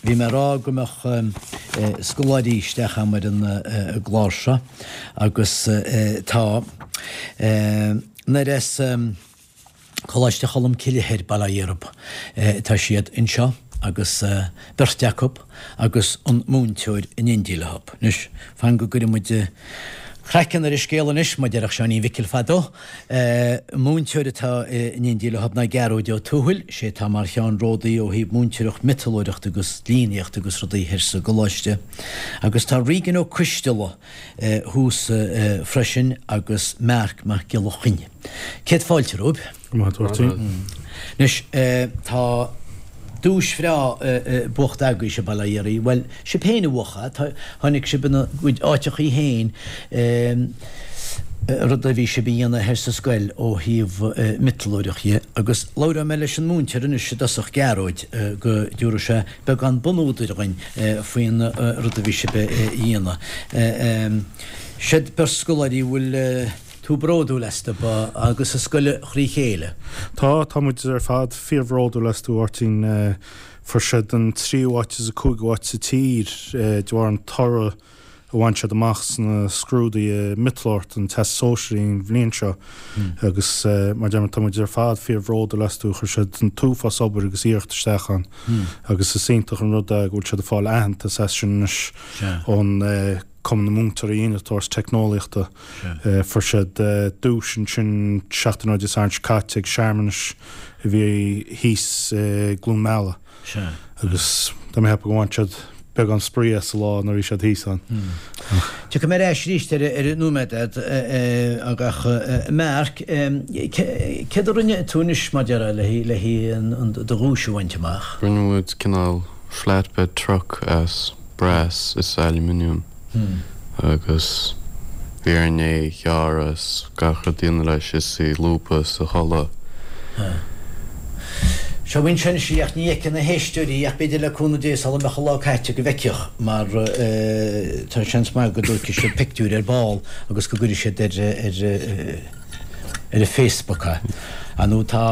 Bhí mé ag rá go mbeadh scoláirí isteach agam ar an gclár seo agus tá. Nuair as Coláiste Cholm Cille Thoir, Baile Átha Dheirb, tá siad anseo agus beirt acu agus an múinteoir in éindí leo. Anois, fan go gcuirfidh muid craiceann ar an scéal anois, mar a déarfadh Seáinín Mhicil fadó. Múinteoir atá in éindí leo ná Gearóid Ó Tuathail, sé atá mar cheannródaí ó thaobh múinteoireacht miotalóireachta agus líníochta agus rudaí thoir sa gcoláiste. Agus tá Regan Ó Coisteala thuas freisin agus Marc Mac Giolla Chainnigh. Céad fáilte romhaibh. Go maith, a Mháirtín. Anois, tá duais bhreá buachta agaibhse bail ó Dhia oraibh. Bhuel, sibh féin a bhuach é. Tháinig sibh ina gcuid áiteachaí féin, rud a bhí sibh a dhéanamh thoir sa scoil ó thaobh miotalóireacht dhe. Agus labhróidh mé leis an múinteoir anois i dtosach, Gearóid, go dtabharfaidh sé beagán bunúdair dhuinn faoin rud a bhí sibh a dhéanamh. Siad beirt scoláirí a bhfuil tú bródúil astu agus an scoil thrí chéile. Tá, tá muid ar fad fíorbhródúil astu, a Mháirtín. Fuair siad an tríú háit is an cúigiú háit sa tír de bharr an toradh a bhain siad amach sna scrúduithe miotalóireachta an Teastas Sóisearaigh an bhliain seo agus mar a deir mé tá muid ar fad fíorbhródúil astu. Chuir siad an t-uafás obair agus iarracht isteach ann agus is iontach an rud é go bhfuil siad ag fáil aitheantas as sin anois ón Cumann na Múinteoirí Innealtóireachta is Teicneolaíochta. Fuair siad duais ansin seachtain ó Dé Sathairn seo caite ag searmanas a bhí thíos i gCluain Meala agus tá mé ag ceapadh go bhain siad beagán spraoi as an lá nuair a bhí siad thíos ann. Tiocfaidh mé ar ais arís ar nóiméad ach Mark, céard a rinne tú anois mar a déarfá le do dhuais a bhaint amach? Rinne muid cineál flatbed truck as brass is aluminium agus bhí orainn é a ghearradh is gach rud a dhéanamh leis is a lúbadh is a tholladh. Seo anois í ach ní fheicfidh na héisteoirí ach b'fhéidir le cúnamh Dé sula mbeadh an lá caite go bhfeicfeadh mar tá seans maith go dtógfaidh siad pictiúr ar ball agus go gcuirfidh siad ar ar ar an Facebook é. Ar ndóigh tá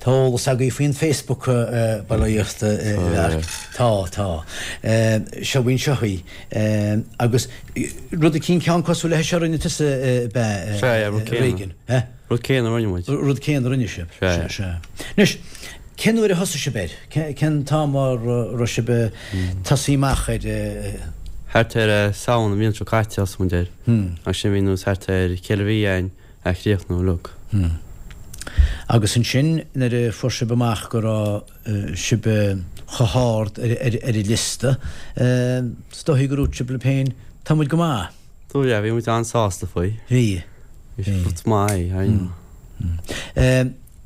tá eolas agaibh faoin Facebook bail ó Dhia ort a Mharc. Tá, tá. Seo anseo í. Agus rud eicínt ceann cosúil leis seo a rinne tusa ab ea, Sea, yeah, rud céanna. Regan, eh? Rud céanna a rinne muid. Rud céanna a rinne sibh. Sea. Sea. Anois, cén uair a thosaigh sibh air? Cén t-am a raibh sibh ag tosaí amach air? Thart ar Samhain an bhliain seo caite a thosaigh muid air. Agus sin bhí nós thart ar cheithre mhí againn a chríochnú uilig. Agus ansin nuair a fuair sibh amach go raibh sibh chomh hard ar an liosta, is dóichí go ndúirt sibh libh féin, tá muid go maith. Dúirt, yeah, bhí muid an-sásta faoi. Bhí. Bhí rud maith é, you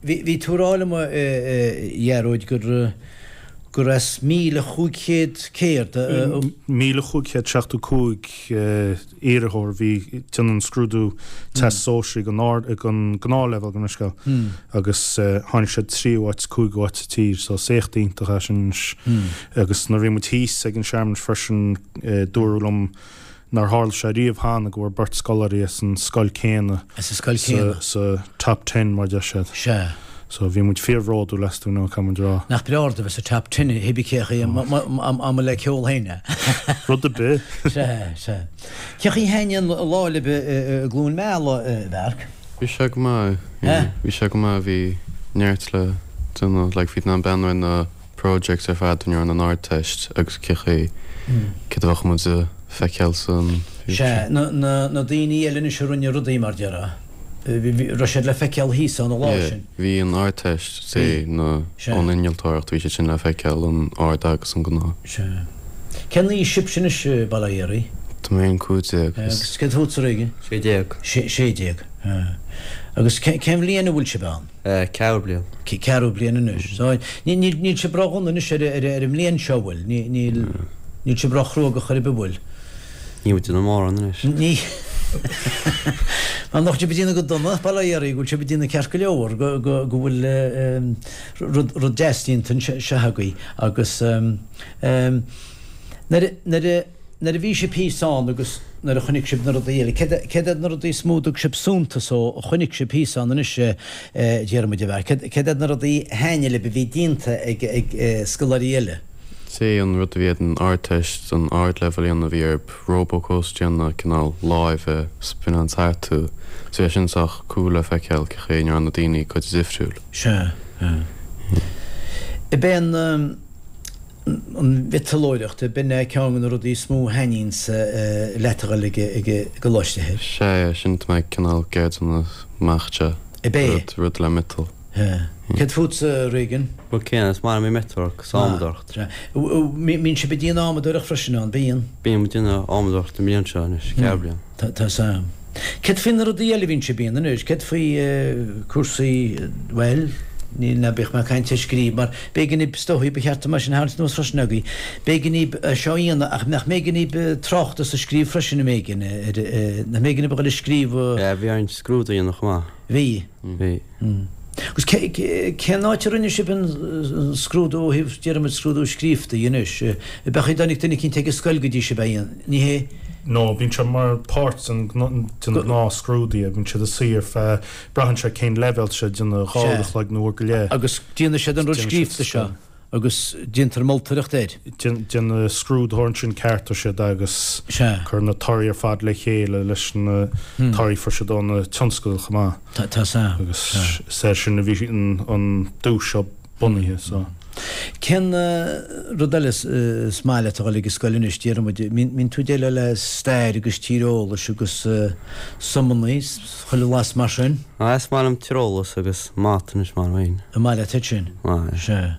Bhí tú ag rá liom, a Ghearóid, gur gur as 1,500 céard a. 1,575 iarrthóir a bhí ag déanamh an scrúdú Teastas Sóisearaigh don ard don ghnáthleibhéal gabh mo leithscéal agus tháinig siad tríú háit is cúigiú háit sa tír so is éacht iontach é sin anois agus nuair a bhí muid thíos ag an searmanas freisin dúradh liom nár tharla sé riamh cheana go bhfuair beirt scoláirí as an scoil céanna As an scoil céanna. sa top ten mar deir siad. Sea. So bhí muid fíorbhródúil astu nó caithfidh muid a rá. Nach breá rud a bheith sa top ten hé bí cé chaoi mba le ceol féin é. Rud ar bith. Sea, sea. Cé chaoi a thaitin an lá libh i gCluain Meala, a Mharc? Bhí sé go maith. Eh? Bhí sé go maith, bhí neart le déanamh, like bhí in ann breathnú ar na projects ar fad a rinne an Ardteist agus cé chaoi céard a bheadh muid a feiceáil san future. Sea, na, na, na daoine eile anois a rinne rudaí mar déarfá, raibh siad le feiceáil thíos ann an lá Yeah, sin. bhí an Ardteist, say, na, Sea. ón innealtóireacht, bhí siad sin le feiceáil, an Ard agus an Gnáth. Sea. Cén aois sibhse anois, bail ó Dhia oraibh? Tá mé féin 15 is. Agus céard fútsa, Regan? 16. Sé, 16, sea. Agus cén, cén bhliain a bhfuil sibh ann? Ceathrú bliain. Ceathrú bliain anois. So, níl sibh ró-dhona anois ar an mbliain seo, bhfuil? Níl, níl sibh ró-chruógach ar bith, bhfuil? Níl muid ag déanamh mórán anois. Ní. Mar nach bhfuil sibh ag déanamh go dona, bail ó Dhia oraibh, go bhfuil sibh ag déanamh ceart go leor, go, go, go bhfuil rud, rud deas déanta anseo agaibh agus nuair a, nuair a, Nuair a bhí sibh thíos ann agus nuair a chonaic sibh na rudaí eile, céard iad na rudaí is mó a dtug sibh suntas ó a chonaic sibh thíos ann anois, a Dhiarmuid, a Mharc? Céard iad na rudaí a thaitnigh libh a bhí déanta ag scoláirí eile? Sé an rud a bhí ar an Ardteist, an Ardleibhéal a dhéanamh, bhí orthu Robocoaster a dhéanamh, cineál láimhe, spinneáil thart. So bhí sin sách cool le feiceáil cén chaoi a ndearna daoine cuid difriúil. Sea. Ab é an an mhiotalóireacht, ab in é ceann de na rudaí is mó a thaitníonns leat a dhul ag an gcoláiste thoir? Sea, sin atá mé cineál ag iarraidh déanamh amach anseo. Ab é? Rud, rud le miotal. Sea. Céard fútsa, Regan? Rud céanna, is maith liom an mhiotalóireacht agus adhmadóireacht. Sea. Mbíonn sibh ag déanamh adhmadóireacht freisin ann, bíonn? Bíonn muid ag déanamh adhmadóireacht an bhliain seo anois, ceardbhliain. Tá, tá 's a'm. Céard faoi na rudaí eile a bhíonn sibh a dhéanamh anois? Céard faoi cúrsaí, bhuel, níl, ná bíodh mé ag caint ar scríobh mar b'éigean daoib, is dóichí, ba cheart dom é sin a tharraingt anuas freisin agaibh, b'éigean daoib seo a dhéanamh ach nach mb'éigean daoib tráchtas a scríobh freisin, an mb'éigean, nach mb'éigean daoib a dhul ag scríobh? Yeah, bhí orainn scrúdú a dhéanamh chomh maith. Bhí. Bhí. Agus cén áit a rinne sibh an scrúdú ó thaobh, déarfaimid, scrúdú scríofa anois? Ab ea dtáinig duine eicínt ag an scoil go dtí sibh é a dhéanamh, ní hé? No, bíonn sé mar páirt den gnáth scrúduithe, bíonn siad ag suí ar feadh, braitheann sé cén leibhéal tá sé ag déanamh, 2 uair a chloig nó uair go leith. Agus déanann siad an rud scríofa seo. Agus déantar moltóireacht air. Déanann scrúdaitheoir ansin ceartaíonn siad agus cuireann na torthaí ar fad le chéile leis na torthaí a fuair siad ó na tionscadail chomh maith. Tá sea. Agus is air sin a bhí an duais seo bunaithe so. Cén rud eile is maith leat a dhul ag an scoil anois, déarfaidh muid, mbíonn tú ag déileáil le stair agus tíreolas agus suimeanna, chuile bhlas mar sin? Is maith liom tíreolas agus mata anois mar féin. An maith leat iad sin? Maith. Sea.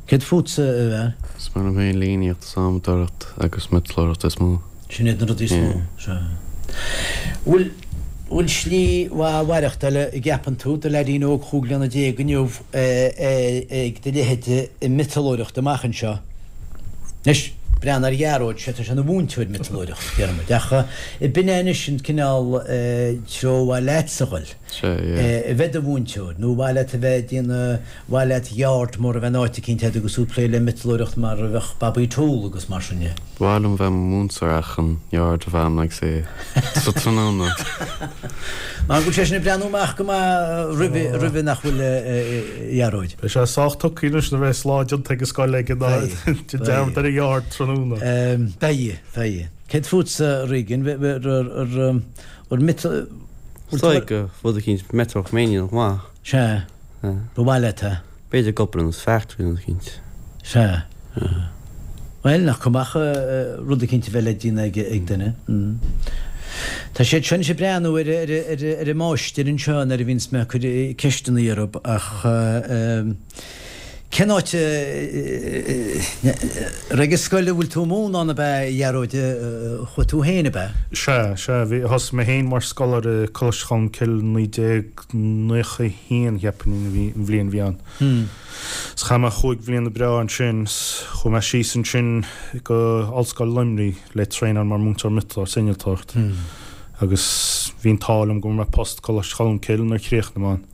Céard fútsa, a fhear? Is maith liom féin líníocht is adhmadóireacht agus miotalóireacht is mó. Sin iad na rudaí is mó. Sea. Bhfuil, bhfuil slí mhaith mhaireachtála a gceapann tú do leaidín óg chúig bliana déag inniu ag do leithéid i miotalóireacht amach anseo? Anois, breathnaigh ar Ghearóid, sé tá sé ina mhúinteoir miotalóireacht, déarfaimid, ach b'in é anois an cineál treo ar mhaith leatsa a dhul, Sea, yeah. a bheith i do mhúinteoir, nó ar mhaith leat a bheith ag déanamh, mhaith leat yard mór a bheith in áit eicínt agat agus tú ag plé le miotalóireacht mar a bheadh Bobby Tool agus mar sin de. Ba mhaith liom bheith i mo mhúinteoir ach an yard a bheith a'm like say sa tráthnóna. Mar go bhfuil sé sin ag breathnú amach go maith roimhe, roimhe nach bhfuil a Ghearóid. Beidh sé sách tugtha anois nuair a bheas lá déanta ag an scoil aige ná déan dearmad ar an yard tráthnóna. Beidh, beidh. Céard fútsa Regan, ar miotal. Is dóigh go rud eicínt miotalóireacht mé féin chomh maith. Sea. Ba mhaith leat é. B'fhéidir ag obair in factory nó rud eicínt. Sea. Bhuel, nach cuma ach rud eicínt a bheith le déanamh ag duine. Tá siad seo anois ag breathnú ar ar an máistir anseo nuair a bhíonns mé ag cur ceisteanna orthu ach cén áit a raibh ag scoil a bhfuil tú ag múineadh ann ab ea, a Ghearóid, a chuaigh tú féin, ab ea? Sea, sea. Bhí, thosaigh mé féin mar scoláire i Coláiste Cholmcille 19. 91 cheapfainn a bhí an bhliain a bhí ann. 'S chaith mé chúig bhliana breá ansin 's chuaigh mé síos ansin go Ollscoil Luimnigh le traenáil mar múinteoir miotalóireacht 's innealtóireacht agus bhí an t-ádh liom go bhfuair mé post Coláiste Cholmcille nuair a chríochnaigh mé ann.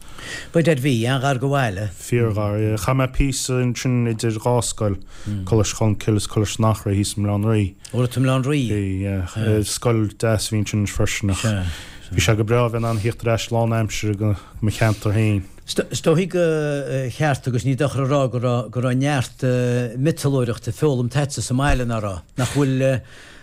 Ba dead bhí, an-ghar do bhaile. Fíorghar, yeah. Chaith mé píosa ansin idir dhá scoil, Coláiste Cholmcille is Coláiste an Eachréidh thíos i mBaile Átha an Rí. Ó raibh tú i mBaile Átha an Rí? Bhí, yeah. Scoil deas a bhí ansin freisin ach bhí sé go breá a bheith in ann theacht ar ais lán aimsire go mo cheantar féin. Is dóichí gur cheart agus ní dochar a rá go raibh go raibh neart miotalóireachta foghlamtha agatsa sa mbaile, nach raibh? Nach bhfuil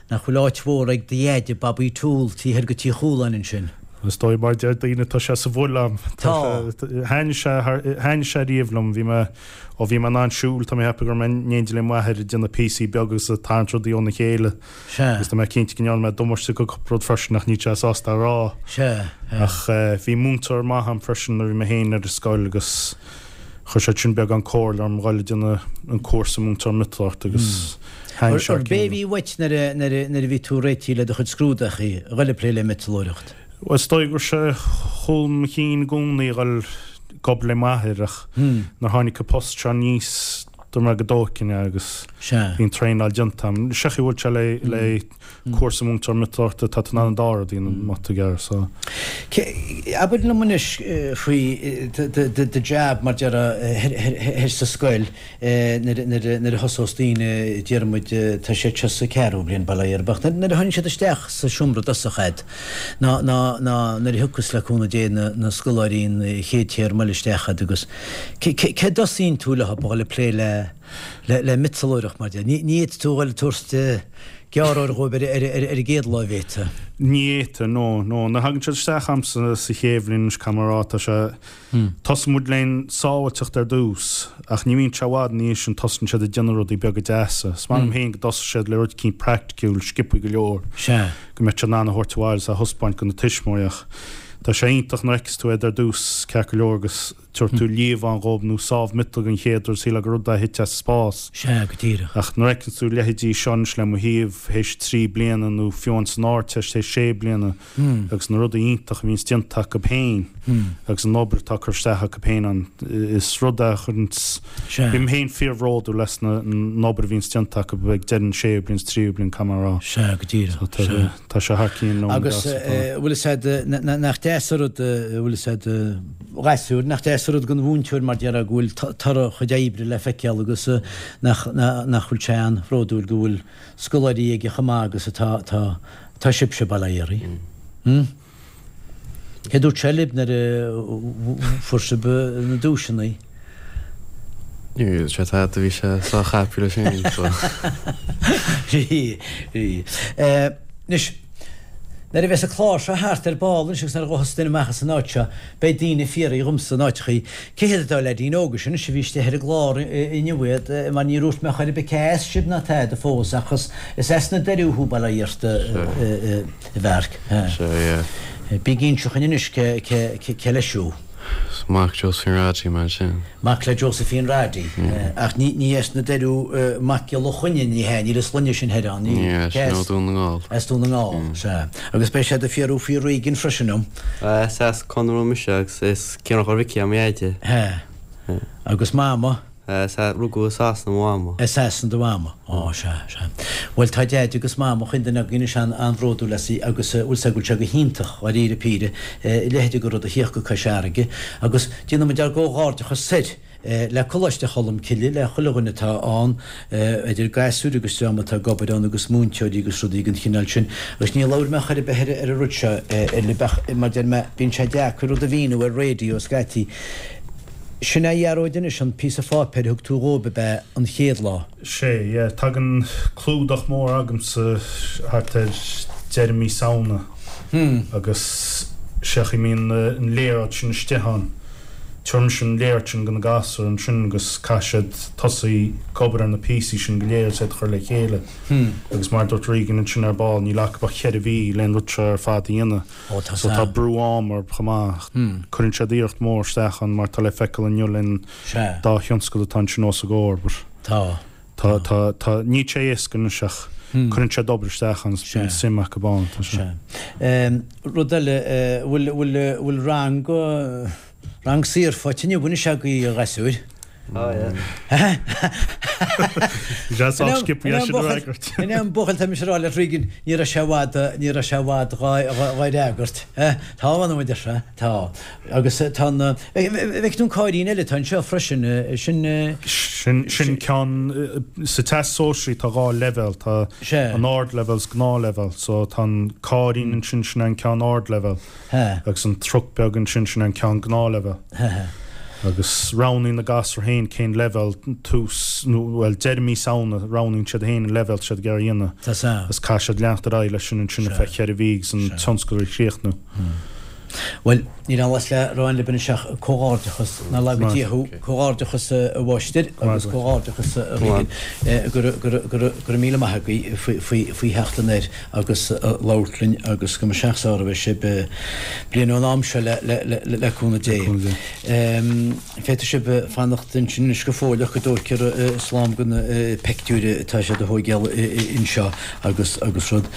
nach bhfuil áit mhór ag do dheaide, Bobby Toole, taobh thoir de Tí Chualáin ansin? Is dóigh mar a deir daoine tá sé sa bhfuil a'm. Tá. Thaitnigh sé thaitnigh sé riamh liom. Bhí mé ó bhí mé in ann siúl tá mé ag ceapadh go raibh mé in éindí le m'athair ag déanamh píosaí beaga agus ag tarraingt rudaí óna chéile. Sea. Agus tá mé cinnte go ndearna mé damáiste go cúpla rud freisin ach níl sé sásta a rá. Sea. Ach bhí múinteoir maith a'm freisin nuair a bhí mé féin ar an scoil agus chuir sé sin beagán comhairle orm dhul ag déanamh an cúrsa múinteoir miotalóireachta agus thaitnigh sé. Ar b'é a bhí uait nuair a nuair a nuair a bhí tú réitithe le do chuid scrúdachaí, a dhul ag plé le miotalóireacht? Bhuel, is dóigh go raibh sé chúl mo chinn i gcónaí a dhul ag obair le m'athair ach nuair a tháinig an post seo aníos dúirt mé go dtógfainn é agus bhí an traenáil déanta agam. Sé chaoi a bhfuil sé le le cúrsa múinteoir miotalóireachta tá tú in ann an dá rud a dhéanamh má tá tú ag iarraidh so. Abair liom anois faoi do jab mar déarfá thoir sa scoil nuair a thosós daoine, déarfaidh muid, tá siad seo sa ceathrú bliain, bail ó Dhia orthu, ach nuair a tháinig siad isteach sa seomra i dtosach a'd, ná, ná, ná nuair a thiocfas le cúnamh Dé na, na scoláirí an chéad téarma eile isteach a'd agus cé, cé, cé dtosaíonn tú leo a dhul ag plé le. le miotalóireacht mar deir. Ní fhéadfaidh tú a dhul ag tabhairt gearróir dhóibh ar an gcéad lá, an bhféadfá? Ní fhéadfá, no, no. Nuair a thagann siad isteach a'msa sa chéad bhliain anois, caithfidh mé a rá, tá sé, tosaíonn muid len sábháilteacht ar dtús, ach ní bhíonn sé i bhfad ina dhiaidh sin, tosaíonn siad ag déanamh rudaí beaga deasa. Is maith liom féin go dtosaíonn siad le rud eicínt praiticiúil, sciobthaí go leor, go mbeadh siad in ann a thabhairt abhaile is a thaispeáint go na tuismitheoirí ach tá sé iontach nuair a fheiceas tú iad ar dtús, ceart go leor, agus. Tabharfaidh tú liamhán dhóibh nó sábh miotail den chéad uair, sílfeá gur rud é a thit as spás. Sea, go díreach. Ach nuair a fheiceanns tú leithéidí seo anois le mo thaobh théis trí bliana nó fiú amháin san Ardteist théis sé bliana agus na rudaí iontacha a bhíonns déanta acu féin agus an obair atá curtha isteach acu féin ann, is rud é a chuireanns, bím féin fíorbhródúil as an obair a bhíonns déanta acu ag deireadh an séú bliain is tríú bliain, caithfidh mé a rá. Sea, go díreach. Sea. Tá sé thar cionn liom. Agus bhfuil fhios a'd, nach deas an rud, bhfuil fhios a'd, a ghasúir, nach deas an rud don mhúinteoir mar déarfá go bhfuil toradh a chuid oibre le feiceáil agus nach, nach bhfuil sé an-bhródúil go bhfuil scoláirí aige chomh maith agus atá, atá, atá sibhse, bail ó Dhia oraibh. Hm? Cé dúirt sé libh nuair a fuair sibh na duaiseanna? Ní raibh sé tada, bhí sé sách happy leis féin so. Bhí, bhí. Anois, nuair a bheas an clár seo thart ar ball anois agus nuair a ghabhfas duine amach as an áit seo, beidh daoine ag fiafraí dhomsa in áiteachaí, cé hiad an dá leaidín óga sin anois a bhí istigh ar an gclár inniu iad, mar níor dhúirt mé chor ar bith cé as sibh ná tada fós ach is as na Doirí thú, bail ó Dhia ort, a Mharc. Sea, yeah. Bígí ag inse dhúinn anois cé leis thú. Is mac Josephine Roddy mé ansin. Mac le Josephine Roddy. Ach ní as na Doirí Mac Giolla Chainnigh, ní hea, níl an sloinne sin thoir ann. Ní hea, sin ó Dún na nGall. As Dún na nGall, sea. Agus beidh siad ag fiafraí faoi Regan freisin liom. Is as Conamara mise agus is Ciarán Mhicí é mo Dheaide. Sea. Agus Mama? Sea, rugadh i Sasana mo mhama. I Sasana do mhama. Ó, sea, sea. Bhuel, tá Deaide agus Mama chaon duine againn anois an-bhródúil astu agus, bhfuil 's a'd go bhfuil sé go hiontach, dháiríre píre, a leithéid de rud a thíocht go Cois Fharraige agus déanann muid ár gcomhghairdeachas soir le Coláiste Cholm Cille, le chuile dhuine atá ann, idir gasúir agus dream atá ag obair ann agus múinteoirí agus rudaí den chineál sin. Agus ní labhair mé chor ar bith ar an rud seo libh ach, mar deir mé, bíonn sé deacair rud a mhíniú ar raidió scaití. Sin é a Ghearóid anois an píosa pháipéir a thug tú dhóibh ab ea an chéad lá? Sé, yeah. Tagann clúdach mór agamsa thart ar deireadh mí Samhna agus sé chaoi a mbíonn an léaráid sin istigh ann. Tabharfaidh mise an léaráid sin do na gasúir ansin agus caithfidh siad tosaí ag obair ar na píosaí sin go léir agus iad a chur le chéile. Agus mar a dúirt Regan ansin ar ball, níl acu ach cheithre mhí le an rud seo ar fad a dhéanamh. Ó tá So tá brú ama orthu chomh maith. Cuireann siad iarracht mhór isteach ann mar tá le feiceáil inniu len dá thionscal atá ansin os a gcomhair but Tá. tá tá tá níl sé éasca anois ach cuireann siad obair isteach ann is bíonn suim acu ann. Tá sé. Sea. Rud eile, bhfuil bhfuil bhfuil rang rang saor faighte inniu anois agaibh a ghasúir? Tá, yeah. Bhí sé sách sciobtha é sin a fhreagairt. In am buachaill tá mise ag rá le Regan, ní raibh sé i bhfad, ní raibh sé i bhfad dhá fhreagairt. Tá, a mh'anam, a deir sé, tá. Agus tá an, bhfeic tú an cáirín eile atá anseo freisin, sin. Sin, sin ceann, sa Teastas Sóisearach tá dhá leibhéal, tá an ardleibhéal is gnáthleibhéal. So tá an cáirín ansin, sin an ceann ardleibhéal. Agus an truc beag ansin, sin an ceann gnáthleibhéal. Agus roghnaíonn na gasúir féin cén leibhéal, tús, nó, bhuel, deireadh mí Samhna, roghnaíonn siad féin an leibhéal atá siad ag iarraidh a dhéanamh. Agus caithfidh siad leanacht ar aghaidh leis sin ansin ar feadh cheithre mhí agus an tionscal a chríochnú. Bhuel, níl aon mhaitheas le rá libh anois ach comhghairdeachas, nár laga Dia thú, comhghairdeachas a mháistir agus comhghairdeachas a Regan, go raibh míle maith agaibh faoi theacht anoir. agus labhairt linn agus go mba sách sára a bheidh sibh bliain ón am seo le cúnamh Dé. Féadfaidh sibh fanacht ansin anois go fóill ach go dtóigfear slám de na peictiúir atá siad a thóigeáil anseo agus agus rud.